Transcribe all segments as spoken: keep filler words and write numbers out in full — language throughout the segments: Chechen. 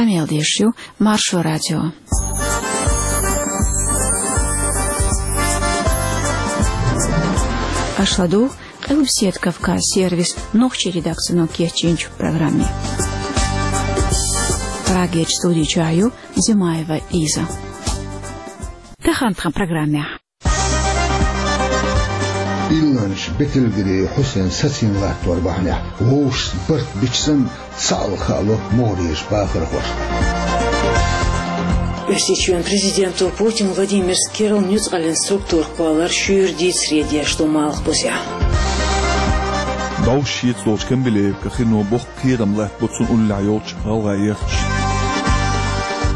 Къамел деш ю Маршо радио. Аша ладугӀу Къилбаседа Кавказ сервисан нохчийн редакцино кечйинчу программе. Прагерчу студи чохь ю Зимаева Лиза. Тахана тхан программехь. Илланчу Бетелгерей Хьусен сацийна латтор бахьанехь вовшашца барт бича санна, цхьаалла хаало могӀарерчу бахархошна. Оьрсийчоьнан президенто Путин Владимира керла нуьцкъаллин структура кхоллар шуьйра дийцаре деш ду Малхбузехь. ДӀовш шеца долчу Камбилевка хино боккха кхерам латтабо цунна уллехь йолчу гӀалгӀайх.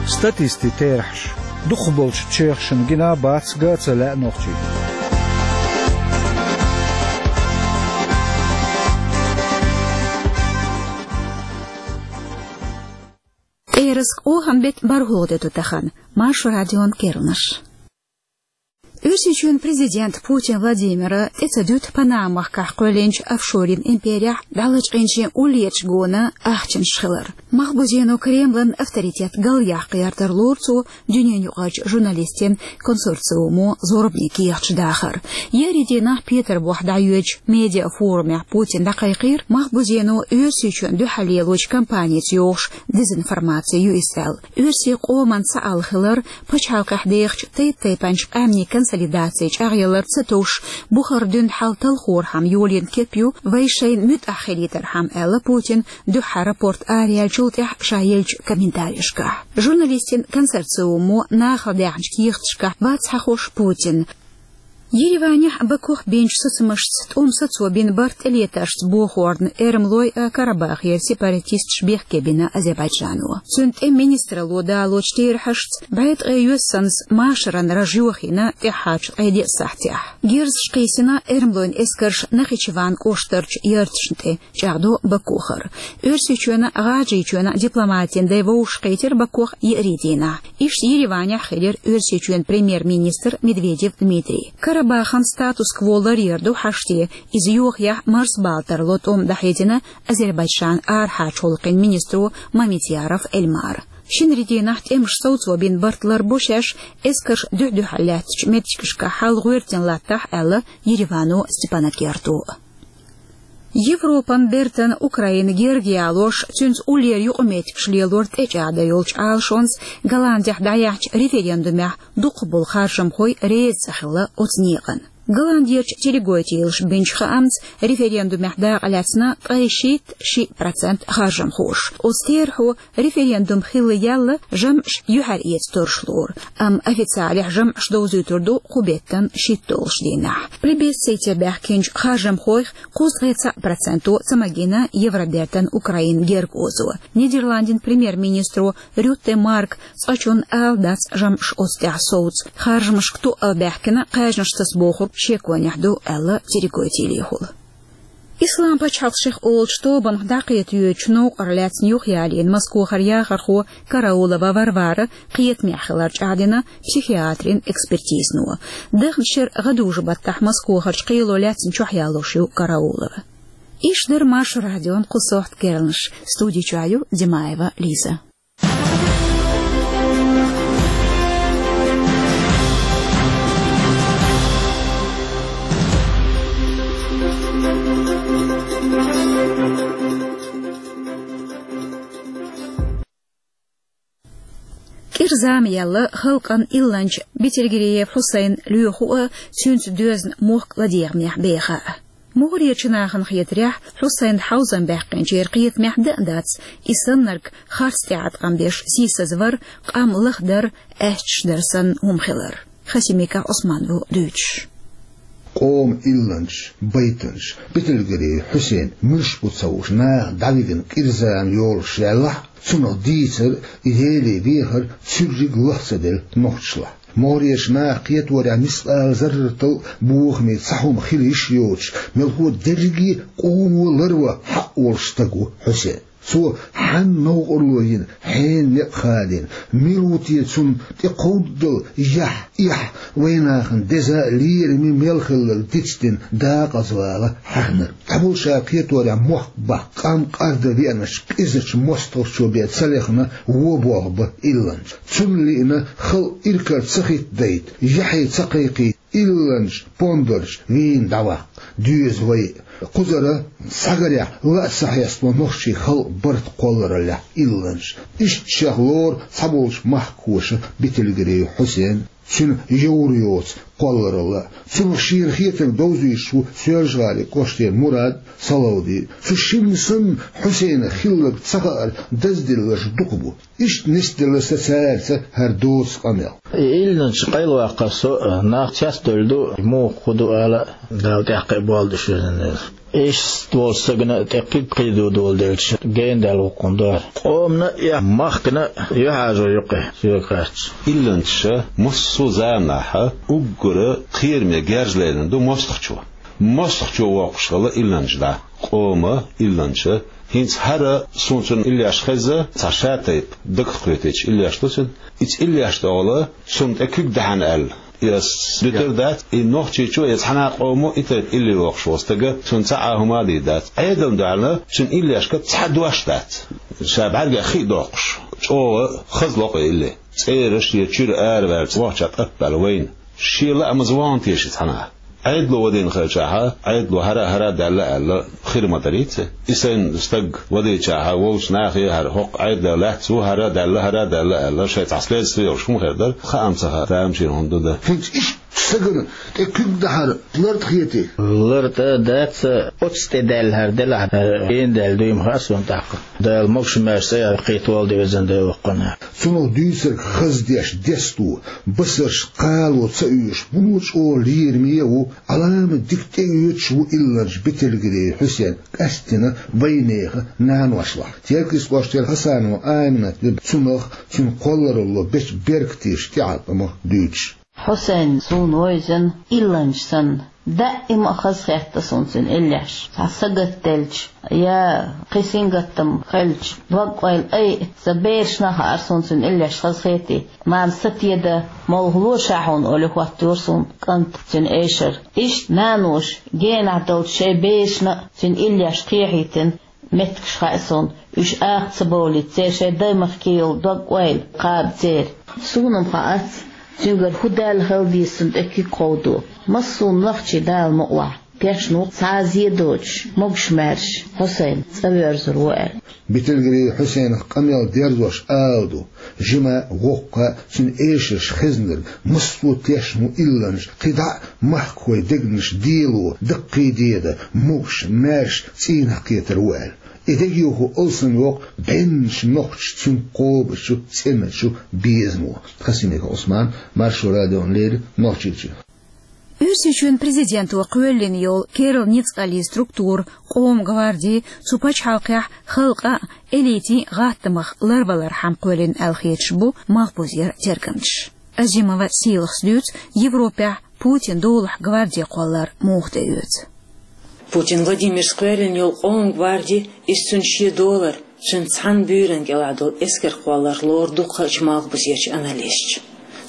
Статистийн терахьаш. Дукхахболчу чоьхашна гина бац ган а ца лаьа нохчийн. ТӀерас кхоьхьан беттан бархӀалгӀа де ду тахана. Маршо радион керланаш. Оьрсийчоьнан президента Путин Владимира тӀе ца дуьту Панама-махкахь кхоьллинчу офшорийн имперехь дӀалачкъийначийн уллерчу гонан ахчанаш хилар. Малхбузено Кремлан авторитет галъяккха гӀертар лору цо дуьненаюкъарчу журналистийн консорциумо зорбане кехаташ дахар. Еарин дийнахь Петарбухехь дӀайоьдучу медиафорумехь Путина дӀакхайкхийра, Малхбузено Оьрсийчоьнна дуьхьал лелочу кампаница йохуш дезинформаци ю иза аьлла. Оьрсийн къоман цхьаалла хилар, пачхьалкхехь дехачу тайп-тайпанчу къаьмнийн консолидаци чӀагӀъялар ца товш, бухара дуьйна хьал талхорхьама йолийна кеп ю вай шайна муьтӀахь хилийтархьама, аьлла Путина дуьххьара рапорт араяьллачул тӀаьхьа ша еллачу комментаришкахь. Журналистийн консорциумо нахала даьхначу кехаташкахь вац хьахош Путин. Ереванехь Бакух бинчу сацамашца тӀом сацо бина барт тӀелетаршца бохорна Эрмлойн а, Карабахера сепаратисташ бехке бина Азербайджано. Цуьнан тӀеман министралло далочу терахьашца, бӀе ткъе йоьссанца машаран раж йохийна тӀаьххьарчу ткъе деа сахьтехь. Герзаш кхийсина Эрмлойн эскарша Нахичеван кӀоштарчу ярташна тӀе, чӀагӀдо Бакухара. Оьрсийчоьнан а, ГӀажарийчоьнан а дипломатийн дай вовшахкхийтира Бакух еарин дийнахь. Иштта Ереванехь хилира Оьрсийчоьнан премьер-министр Медведев Дмитрий. Карабахана статус-кво ларъяр ду хьаштий, иза йохаехь марсабала тарло тӀом дӀахьедина Азербайджанан арахьарчу гӀуллакхийн министро Мамедъяров Эльмара. Шинарин дийнахь тӀемаш совцо бина барт ларбо шаьш, эскарш дуьхь-дуьхьал лаьттачу меттигашкахь хьал гӀоьртина латтахь, аьлла Еревано Степанакерто. Европан бертан Украина герга ялош, цуьнца уллера юкъаметтигаш лелор тӀечӀагӀдан йолчу Ӏалашонца Голландехь дӀаяьхьначу референдумехь дукхахболу харжамхой реза ца хилла оцу некъана. Голландерчу телегойтийлаша бинчу хаамца, референдумехь дакъалаьцна ткъе шийтта шиъ процент харжамхоша. Оцу терахьо референдум хилла яьлла жамӀаш юьхьар эца тарлуш лору, амма официалехь жамӀаш довзуьйтур ду кху беттан шийтталгӀачу дийнахь. Плебисците баьхкинчу харжамхойх кхузткъе цхьаъ проценто ца магийна Евробертан Украина герга озо. Нидерландийн премьер-министро Рютте Марка цкъачунна ала дац жамӀаш оцу тӀехь совца. Харжамашка тоъал баьхкина кхаьжнаш таса бохург шеконехь ду, аьлла телегойтийлехула. Ислам пачхьалкх шех олучу тобанах дӀакхета йоьдучу новкъарлаьцна юхаялийна Москохара яхархо Караулова Варвара кхетамехь хилар чӀагӀдина психиатрийн экспертизано. Даханчу шеран гӀадужу-баттахь Москохарчу кхело лаьцна чохь ялош ю Караулова. Иштта дара Маршо радион кху сохьта керланаш. Студи чохь ю Димаева Лиза. КӀира зама яьлла халкъан илланча Бетелгериев Хьусайн лоьху а, цуьнца доьзна мохк ладегӀамехь беха а. МогӀарерчу нахана хетарехь, Хьусайн хьовзам баьккхинчеран кхетамехь дан а дац, и саннарг харц тӀеӀаткъам беш сийсазвар, къам лахдар, аьшпаш дар санна хӀума хилар. Хасимиков Ӏусман ву дуьйцуш. Къоман илланча, байтанча Бетелгериев Хьусайн муьлш бу ца хууш наха дӀавигна кӀира зама йолуш яьллахь а, цунах дийцар, и Деле вехар цуьрриг лах ца делла нохчашлахь. МогӀарерчу наха кхеторехь мискъала зарратал а бохаме цхьа хӀума хила йиш йоцуш, мелхо дерриге а къомо ларван хьакъ волуш стаг ву Хьусен. Цо хьанна новкъарло йина, Ӏена некъ хадийна, мила ву те цунна тӀекховдадала яхь, эхь, вайнахана деза а лераме мел хилларг дицдина дакъазавала хьаьхнарг. Цхьаболчара кхеторехь мохк баккха, къам къарда веанарчу къизачу мостагӀчо бен ца лехна, вон болх бан илланча. Цунна лиъна халкъ иракарчу ца хӀиттадайта, яхье ца кхайкхийта, илланчу пондарчу вийна дӀаваккха доьза вай а. Кхузара схьагарехь ла а ца хьеставо нохчийн халкъан барт кхоллараллехь илланча. Иштта шех лору цхьаболчу махкахоша Бетелгиреев Хьусен, цуьнан йовр йоцу кхолларалла а. Цунах шена хетарг довзуьйтуш ву Соьлжа-ГӀалин кӀоштера Мурад, Салавди. Цу шинна санна Хьусенах хилларг ца хаар даздилларш дукха бу. Иштта нисделла сан цаьрца хӀара доцу къамел. И илланча къайлаваккхар со а, нах цецдевлла ду, муха хӀун ду ала а, Дала тӀаккха а болх беш везан Дела. Иштта волчу стагана тӀе кхин кхин ду доладелча, генадаьлла ву-кх хӀума дара. Къомана а, я махкана а юьхьӀаьржо ю-кх и, соьга хаьттича. Илланчаша массо а заманахь уггар кхераме герз лерина ду мостагӀчо. МостагӀчо воккхуш хилла илланча дӀа. Къома, илланча, хӀинца хӀара суна цуьнан иллеш хезна, цхьа шатайпа дагах кхетийча иллеш ду цуьнан. Иза иллеш тӀехула цунна тӀе куьг дахьана аьлла, и ас дуьтур дац, и нохчичо, я цхьана а къомо и тайпа илли воккхуш волу стага, цунна цхьа а хӀума а дийр дац. Ӏедална дуьхьална цуьнан иллешка цхьа дош дац. Ша бӀаьргех хи а доккхуш, чӀогӀа хаза ло-кх и илли. ЦӀера шен чуьра араваьлча, вахча тӀатбаьлла вайна. Шен лаамаза вахана теша цхьана а. Ӏедало вадийна хилчахьа, Ӏедало хӀара а, хӀара а даьлла аьлла, хир ма дарий цхьа. И сайна стаг вадийчахьа, вовчу нахе а хӀара хӀокху Ӏедалан лаьцна ву, хӀара а даьлла, хӀара а даьлла аьлла, шайн цхьа следство йолуш хӀума хир дара, хаам ца хаьа, тамашийна хӀума ду дан. ХӀинца иштта стагана тӀе куьг дахьар лартӀа хетий? ЛартӀа дац, оццу тӀе даьлла хӀара делахь, хӀара генадаьлла дуй ма хаьа суна тӀаккха. Дала могуш-маьрша цӀа яккхийта волу де везан Дела воккханна. Цунах дуьйцург хаза деш десто, басарш кхало ца оьшу, муно чӀогӀа лераме а ву, Ӏаламат дика тӀеоьцуш ву илланча Бетелгиреев Хьусен, къаьсттина вайнехан наношлахь. Теркйист кӀоштера Хасанова Айманат ю цунах, цуьнан кхолларалло бечу беркатеша тӀеӀаткъамах дуьйцуш. Хьусен суна вевзина илланча санна. Даима а хазахетта суна цуьнан иллеш. Цхьа сагатделча, я кхин сингаттам хилча, дог-ойла айа, сан берашна а хаьара суна цуьнан иллеш хазахетий. Мама, сатеда, молхалора ша хьуна, олий, хӀоттайора суна кӀант цуьнан эшар. Иштта наноша генахь долчу шайн берашна а цуьнан иллеш кхехьийтина меттигаш хаьа суна, уьш акха ца бовлийта, церан шайн даймахке йолу дог-ойла кхаба церан. Суна-м хаац, цуьнгара хӀун даьлла хила деза цунна тӀе куьг кховдо. Массо а нохчий, Дала мукъалахь, тешна ву цхьа а зе доцуш, могуш-маьрша Хьусайн цӀа воьрзур ву аьлла. Бетелгиреев Хьусенах къамел дерзош ала ду: жима, воккха, цуьнан эшарш хезнарг массо а тешна ву илланча, кхидӀа а махкахой дегнаш дело, даккхий деда, могуш-маьрша цӀийнах кхетар ву аьлла. И дегайовхо алсамйоккху бӀеннаш нохчаша цуьнга кхобучу цӀеначу безамо. Хасимиков Ӏусман, Маршо радиона леррина, Нохчийчоь. Оьрсийчоьнан президенто кхоьллина йолу керла ницкъаллин структура, Къоман гварди, цу пачхьалкхехь халкъан а, элитин а гӀаттамах ларвалархьама кхоьллина аьлла хеташ бу малхбузера тергамчаш. Азимова Сийлахас дуьйцу, Европехь Путинан долахь гварди кхоллар муха тӀеоьцу. Путин Владимира кхоьллина йолу Къоман гварди, иза цуьнан шен долар, цуьнан цхьана буьйранна кӀелахь долу эскар кхоллар лору дукхачу малхбузерчу аналисташа.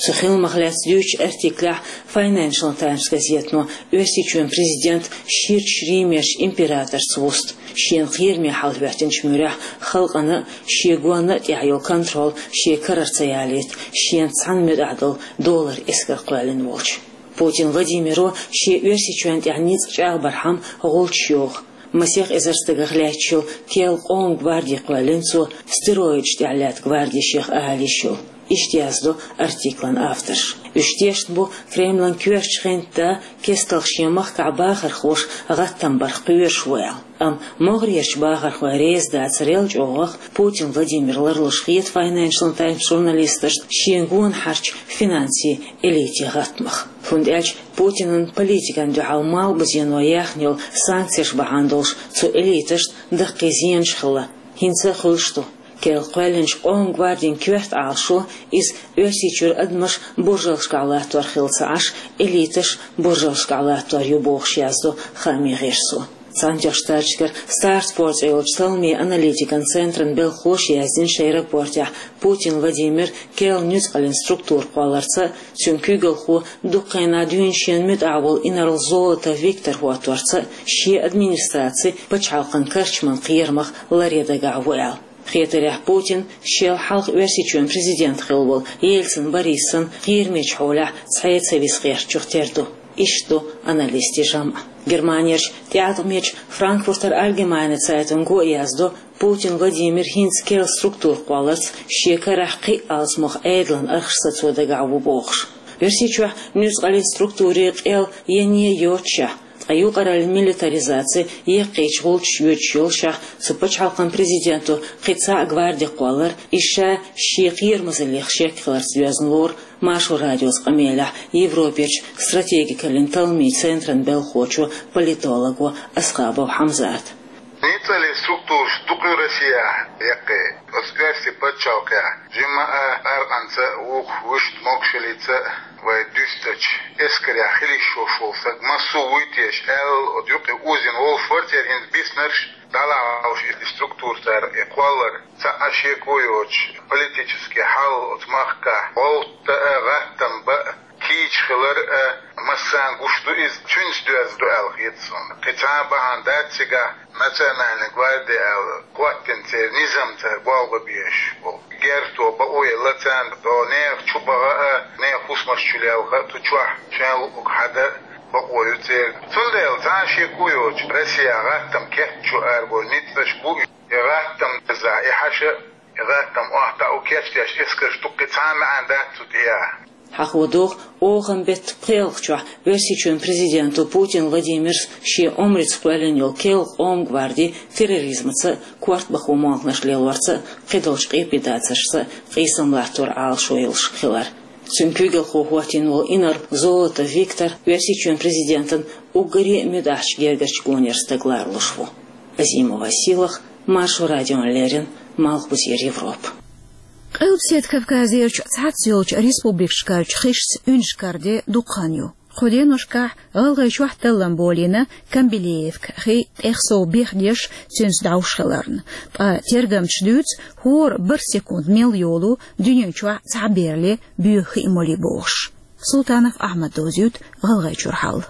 Цу хиламах лаьцна дуьйцучу артиклехь Financial Times газетано Оьрсийчоьнан президент ширачу Римерчу императорца вуста, шена кхераме хьал хӀоьттинчу муьрехь халкъана а, шен гонна а тӀехь йолу контроль шен карара ца ялийта, шена цхьана муьтӀахь долу долар эскар кхоьллина волчу. Путин Владимиро шен Оьрсийчоьнна тӀехь ницкъ чӀагӀбархьама гӀулчаш йоху. Масех эзар стагах лаьтташ йолу керла Къоман гварди кхоьллина цо, стероидаш тӀехь лаьтта гварди шех ала йиш йолу. Иштта яздо артиклан авторша. Уьш тешна бу Кремлан коьртачу хентан да кестта шен махкахь бахархоша гӀаттам барх кхоьруш ву аьлла. Амма могӀарерчу бахархой реза дацарел чӀогӀах Путин Владимир ларлуш хета Financial Times журналисташна шен гонахьарчу финансийн элитин гӀаттамах. ХӀунда аьлча Путинан политикана дуьхьал малхбузено яьхна йолу санкцеш бахьана долуш цу элиташна даккхий зенаш хилла, хӀинца а хуьлуш ду. Керла кхоьллинчу Къоман гвардин коьрта Ӏалашо, иза Оьрсийчуьра адамаш буржалшкахь латтор хилла ца Ӏаш, элиташ буржалшкахь латтор ю бохуш, яздо хаамийн гӀирсо. Цхьаьнатоьхначу Штаташкара Стратфорд цӀе йолчу талламийн аналитикан центран белхалоша яздина шайн рапортехь, Путин Владимир керла нуьцкъалан структура кхолларца а, цуьнан куьйгалхо дукха хенахь дуьйна шена муьтӀахь волу инарла Золотов Виктор хӀотторца а шен администраци пачхьалкхан карчман кхерамах ларъян дагахь ву аьлла. Хетарехь, Путин шел хьалха Оьрсийчоьнан президент хилла волу Ельцин Бориссан кхерамечу хьолехь цхьа а ца виса гӀертачух тера ду. Иштта ду аналистийн жамӀ. Германерчу тӀеӀаткъамечу Франкфуртер Альгемайне цайтинго а яздо, Путин Владимир хӀинца керла структура кхолларца шен карахь кхин а алсамох Ӏедалан архаш сацо дагахь ву бохуш. Оьрсийчохь нуьцкъалан структурийн къел ян а йоццушехь, ткъа юкъараллин милитаризаци яккхийчу гӀулчаш йоьдуш йолушехь, цу пачхьалкхан президенто кхин цхьа а гварди кхоллар, иза ша шен кхерамазаллех шек хиларца доьзна лору Маршо радиоца къамелехь Европерчу стратегикаллин талламийн центран белхалочо, политолого Асхабов Хьамзата. Нуьцкъалан структураш дукха ю Россехь яккхий, оцу Оьрсийн пачхьалкхехь, жимма а аркъанца а, вукху вуьшта могушаллица а вай дуьстича, эскарехь хила йиш йолуш волу стаг массо а вуй теша аьлла, оцу юкъе озийна волуш вара церан хӀинца биснарш, дӀалахьалуш и структура цара и кхоллар. Цхьа а шеко йоцуш, политический хьал оцу махкахь гӀовтта а, гӀаттам бан а, кийча хилар а массарна гуш ду иза, цуьнца доьзна ду аьлла хета суна. Кхин цхьа а бахьана дац цигахь, национальная гвардия аьлла хӀоттийна церан низам, цара болх бан безаш болу. Герто бакъо елла царна, тӀо нехан чу баха а, нехан хӀусамаш чу лелха а, цу чохь шайн луъург хьадан бакъо ю церан. Цундела цхьа а шеко йоцуш, Россехь гӀаттам кечйо аьлла болу ницкъаш бу и. И гӀаттам деза, и хьаша, и гӀаттам охьатаӀо кечдеш эскарш ду, кхин цхьа а маьӀна дац цу тӀехь. Хьахо догӀу, охан беттан пхоьалгӀачохь Оьрсийчоьнан президенто Путин Владимира шен омрица кхоьллина йолу керла къоман гварди терроризмаца а, корта бахо молханаш лелорца а, кхидолчу къепедацаршца а къийсам латтор Ӏалашо йолуш хилар. Цуьнан куьйгалхо хӀоттийна волу инарла Золотов Виктор Оьрсийчоьнан президентан уггаре а муьтӀахьчу гергарчу гонера стаг лоруш ву. Азимова Силах, Маршо радиона леррина, Малхбузера Европа. Къилбаседа Кавказерчу цхьацца йолчу республикашкарчу хишца уьнаш караде дукха хан ю. Кху деношкахь ГӀалгӀайчохь таллам болийна Камбилеевка хи тӀех сов бехдеш, цуьнца дӀовш хиларна. Ткъа тергамчаша дуьйцу, хӀора бархӀ секунд мел йолу дуьнен чохь цхьа а берле, боьха хи а молий бохуш. Султанов Ахьмада дозуьйту ГӀалгӀайчуьра хьал.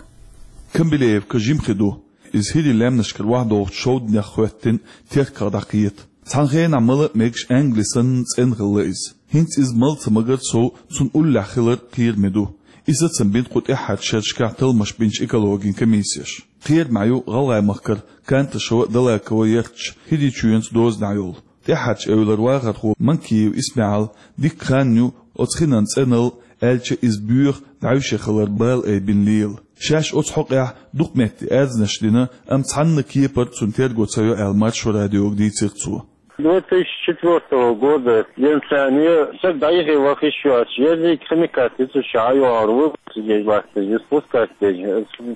Камбилеевка жима хи ду. Иза хӀирийн лаьмнашкара охьадогӀучу шовданех хӀоьттина терках дӀакхета. Цхьана хенахь мала а мегаш англи санна цӀена хилла иза. ХӀинца иза мала ца магар сов, цунна уллехь хилар кхераме ду. И сацам бина кху тӀаьххьарчу шерашкахь талламаш бинчу экологин комиссеша. Кхерамехь ю ГӀалгӀай-махкара Канташева а, Далакова а ярташ хӀирийн чоьнца дозанехь йолу. ТӀаьххьарчу эвлара вахархо Манкиев ИсмаьӀал дикка хан ю оцу хинан цӀеналла, аьлча, иза боьха дӀаьвше хилар бала айбина лела. Шаьш оцу хьокъехь дукха метте аьрзнаш дина, амма цхьанна кепара цунна терго ца йо аьлла, Маршо радиога дийцира цо. Две тысячи четвёртого года денца стаг дӀайихи вахиш йоцуш, ерриг химикат йицуш ӀайогӀур ву, сидеж латташ, спускать деш,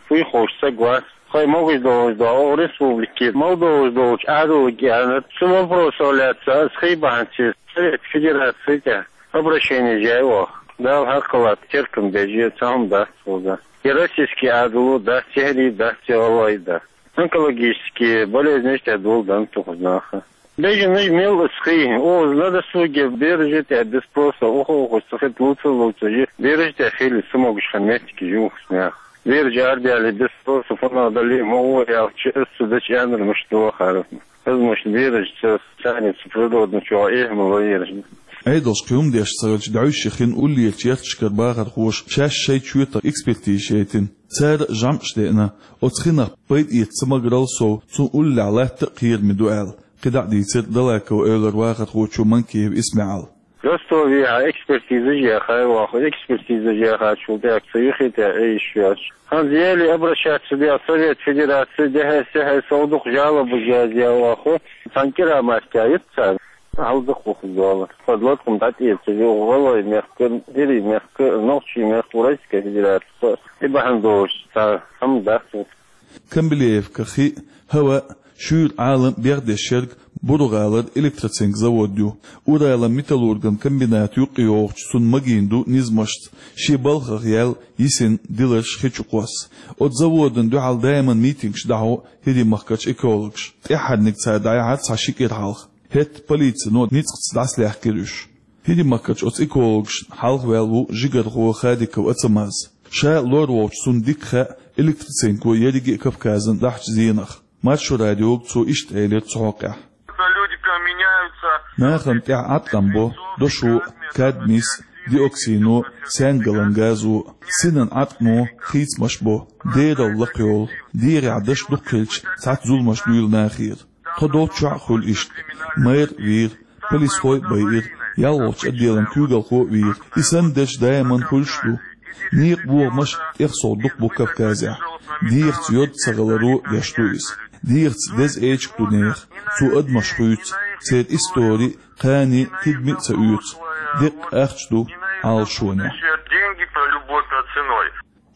фуй ховш стаг вац. Хай могуш долуш до, оха республике мел долуш долчу Ӏадалга аьлла, цу вопросо лаьцна аса хи бахьанца Совет Федерации тӀе обращение яьй оха. Дала хьакхалат теркам бежи, цхьа хӀума дац цуьнга. И российский Ӏадало дац, и хӀирий дац, и гӀалгӀай дац. Онкологический болезнеш тӀе доладан тухуш наха. Бежанаш мел аса хи, оха на досуге бераш тӀе без спроса, оха, оха ца хи луца, луца, бераш тӀе хили, ца могуш хан меттиг юхус нах. Бераш арабаьлли без спроса, фана дали, ма вон аьлча, аса ца дачу аьннар муш дохар. Хазмаш бераш ца, царница природно чохь эхь ма вайраш. Ӏедалш кхин хӀума деш ца хилча, дӀаьвше хин уллерчу ярташкара бахархоша шаьш шайн чоьтах экспертизаш яйтина. Цара жамӀаш деана, оцу хинах пайда эца ца магарал сов, цунна уллехь латта а кхераме ду аьлла. КхидӀа а дийцира Далакова эвлара вахархочо Манкиев ИсмаьӀала. Ростовехьа экспертизаш яхай ваха, экспертизаш яхачул тӀаьхьа ца юхи тӀе Ӏе йиш йоцуш. Ханзели обращаться дел Совет Федерации дехьа-сехьа сов дукха жалобаш язъян ваха, цхьана кӀира мастя йиц цара. Хьалдакхухуш дола. Под лодком дӀатӀеца, ву гӀалгӀай мехка, хӀирий мехка, нохчий мехка, Уральская Федерация. И бахьана долуш, цхьа хӀама дац. Камбилеевка хи а, хӀава а Шуьйра Ӏалам бегӀдеш ерг Буру-гӀалара электроцинк завод ю. Уралан металлурган комбината юкъе йогӀучу цунна магийна ду низамашца, шен балхах яьлла йисина диларш хи чу кхосса. Оцу заводана дуьхьал даиман митингаш дӀахьо ХӀирийн махкарчу экологаша. ТӀаьххьарниг цара дӀаяхьара цхьа ши кӀира хьалха. ХӀетта полицино ницкъаца дӀасалаьхкира уьш. ХӀирийн махкарчу оцу экологашна хьалхаваьлла ву жигархо Хадиков Ацамаз. Ша лор волчу цунна дика хаьа электроцинко ерриге а Кавказан дахьачу зенах. Маршо радиога цо иштта элира цу хьокъехь. Люди меняются. Нахана тӀехь Ӏаткъам бо дошо, кадмийс, диоксино, сенгалан газо, синан Ӏаткъамо хийцамаш бо, дерал лакхайолу, дегӀехь даш дукха хилча, цхьацца зуламаш дуьйлу нахера. Тхо долччохь а хуьлу иштта. Мэр а вийра, полисхой а байира, ялхолгӀачу отделан куьйгалхо а вийра. И санна дерш даиман хуьлуш а ду. Некъан бохамаш тӀехсолу дукха бу Кавказехь. ДегӀаца йоьду ца гӀаларо деш ду иза. ДегӀаца деза эчиг ду нехан. Цо адамаш хуьйцу, церан истори а, кхане а, тидаме а ца оьцу. Деккъа ахча ду Ӏалашонехь. Деньги по любой ценой.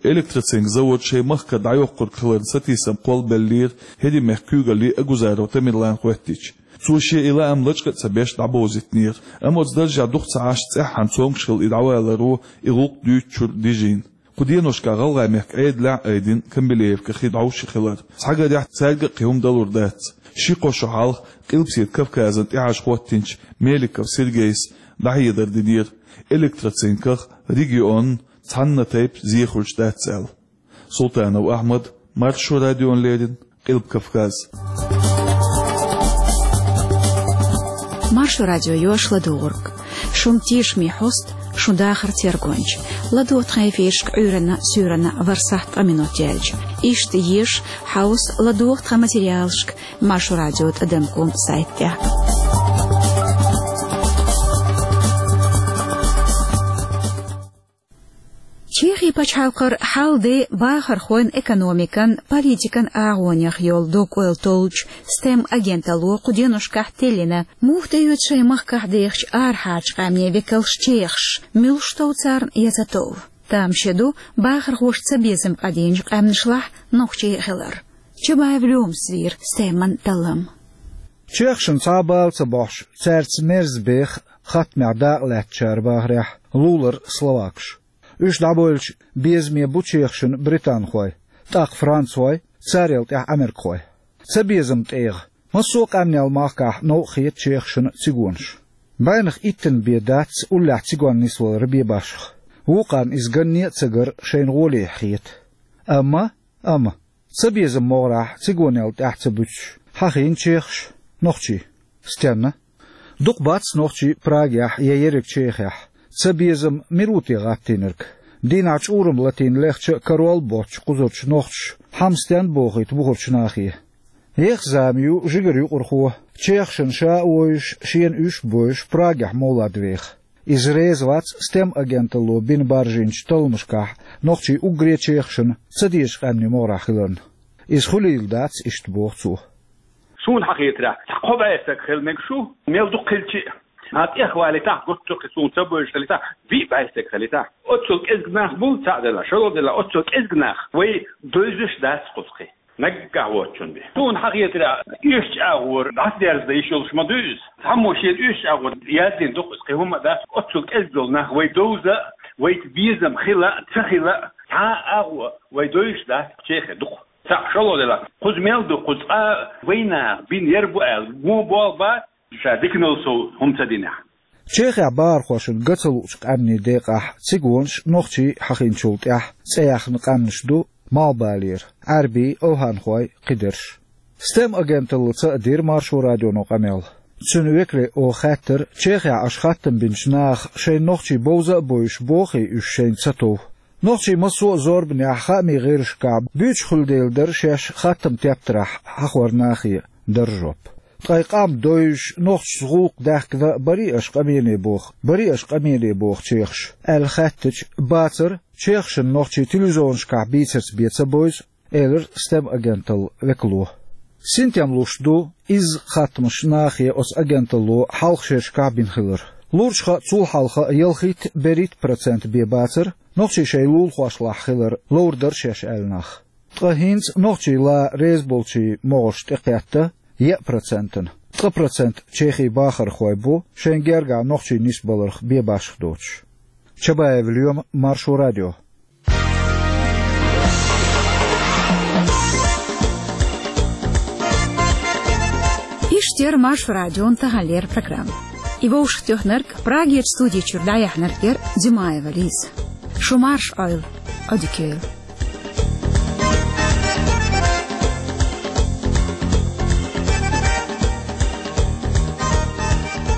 Электроцинк завод шайн махкара дӀайоккхург хиларна сатийсам кхоллабеллера ХӀирийн мехкан куьйгалле Агузаров Тамерлана хоьттича. Цо шен и лаам лачкъа а ца беш дӀабовзийтинера, амма оцу даржехь дукха ца Ӏаш, цӀеххьана цомгуш хилла и дӀаваларо и гӀуллакх дуьйцучуьра дижийна. Кху деношкахь ГӀалгӀай мехкан Ӏедалехь а айдина Камбилеевка хи дӀовш хилар. Цхьа гарехь цаьрга а кхин хӀума далур дац. Ши-кхо шо хьалха Къилбаседа Кавказан тӀаьхьашха хӀоттийначу Меликов Сергейс дӀахьедар динера, электроцинках регионна цхьана тайпа зе хуьлуш дац аьлла. Султанов Ахьмад, Маршо радиона леррина, Къилба Кавказ. Маршо радио йош ладугӀург. Шун тешаме хьоста, шун дахаран тергонча. ЛадогӀа тхан эфирашка Ӏуьйранна, суьйранна ворхӀ сахьт ткъа минот яьлча. Иштта еша, хьовса, ладогӀа тхан материалашка Маршо радио тӀадам ком сайта тӀехь. Чехин пачхьалкхара хьал-де бахархойн, экономикан, политикан агӀонех йолу дог-ойла толлучу стем агенталло кху деношкахь теллина. Муха тӀеоьцу шайн махкахь дехачу арахьарчу къаьмнийн векалш чехаш? Муьлш тов царна я ца тов? Тамаше ду бахархоша цабезам кӀадийначу къаьмнашлахь нохчий хилар. Чабаев Лёмас вийра стеман таллам. Чехашна цхьа а бала ца бохьуш, цаьрца мерза беха хаттамехь дакъалаьцначара бахарехь, лулара словакаш. Уьш дӀабевлча, безаме бу чехашна британхой, тӀаккха францхой, царел тӀаьхьа америкахой. Цабезаман тӀегӀа массо а къаьмнел махкахь новкъа хета чехашна цигонаш. БӀеннах иттанна бен дац уллехь цигонна нисвалар бен башха. Вукхарна иза ганне а ца гар шайна гӀолехьа хета. Амма, амма, цабезаман могӀарехь цигонел тӀаьхьа ца буьтуш, хьахийна чехаш, нохчий. Стенна? Дукха бац нохчий Прагехь я ерриг Чехехь. Цабезам мила ву те гӀаттийнарг? Дийнахь чӀурам латийна лехча а карор боцчу кхузарчу нохчаша хӀама стенна бохуьйту бухарчу нахе? Еха зама ю жигара юкъархо, чехашна ша а вовзуш, шена уьш а бовзуш, Прагехь мовлад веха. Иза реза вац стем агенталло бина баржийначу талламашкахь нохчий уггаре чехашна ца дезачу къаьмнийн могӀарехь хиларна. Иза хуьлийла дац иштта, боху цо. Суна хьахетарехь, цхьа кхо бӀе стаг хила мегаш ву, мел дукха хилча а. Ткъа тӀехвалийтахь, гуттар а кхин суна ца бевзаш хилийтахь, виъ бӀе стаг хилийтахь. Оццул кӀезиг нах бу, цхьаъ делахь, шолгӀа делахь, оццул кӀезиг нах вай довзуш дац кхузахь. Наггахь воцчунна бен. Суна хьахетарехь, оьшучу агӀор дӀасадаьрза дан йиш йолуш ма дуй иза. Цхьаммо шена оьшучу агӀор яздина ду-кх иза, кхин хӀумма а дац. Оццул кӀезиг долу нах вай довза а, вайца безам хила а, ца хила а, цхьа а агӀо вай довзуш дац, чехе ду-кх. Цхьаъ, шолгӀа делахь, кхуза мел ду, кхуза цкъа а вайнаха бина яр бу аьлла, вон болх бац, ша диканал сов хӀума ца динехь. Чехехь бахархошна ган ца луучу къаьмнийн декъахь цигонаш, нохчий хьахийначул тӀаьхьа цӀе яьхна къаьмнаш ду Малхбалера: Ӏаьрбий, овхӀанхой, кхидерш. Стем агенталлаца а дира Маршо радионо къамел. Цуьнан векале оха хаьттира, Чехехь аша хаттам бинчу наха шайна нохчий бовза а бовзуш, бохий уьш шайна ца тов. Нохчий массо а зорбанехь, хаамийн гӀирсашкахь буьйцуш хуьлу дела дара шаьш хаттам тептарехь хьахор нахе, дара жоп. Ткъа и къам довзуш, нохчашца гӀуллакх даьхкина а барий аша къамене боху, барий аша къамене боху чехаша, аьлла хаьттича, бацара, чехашна нохчий телевизионашкахь бийцарца бен ца бовзу, элира стем агенталлин векало. Синтем луш ду изза хаттамаш нахе оцу агенталло хьалха шерашкахь бина хилар. Лурчу хаа цул хьалха ялхитта-берхӀитта процент бен бацара, нохчий шайн лулахошлахь хилар ловр дара шаьш аьлла нах. Ткъа хӀинца нохчий ла реза болчий могӀарш тӀекхетта е процентана. Ткъа процент Чехий бахархой бу шайн гергахь нохчий нисбаларх бе башха доцуш. Чабаев Лоьма, Маршо радио. Иштта яра Маршо радион таханлера программа. И вовшахтоьхнарг, Прагерчу студи чуьра дӀаяьхьнарг яра Димаева Лиза. Шу марша Ӏойла, Ӏодика йойла.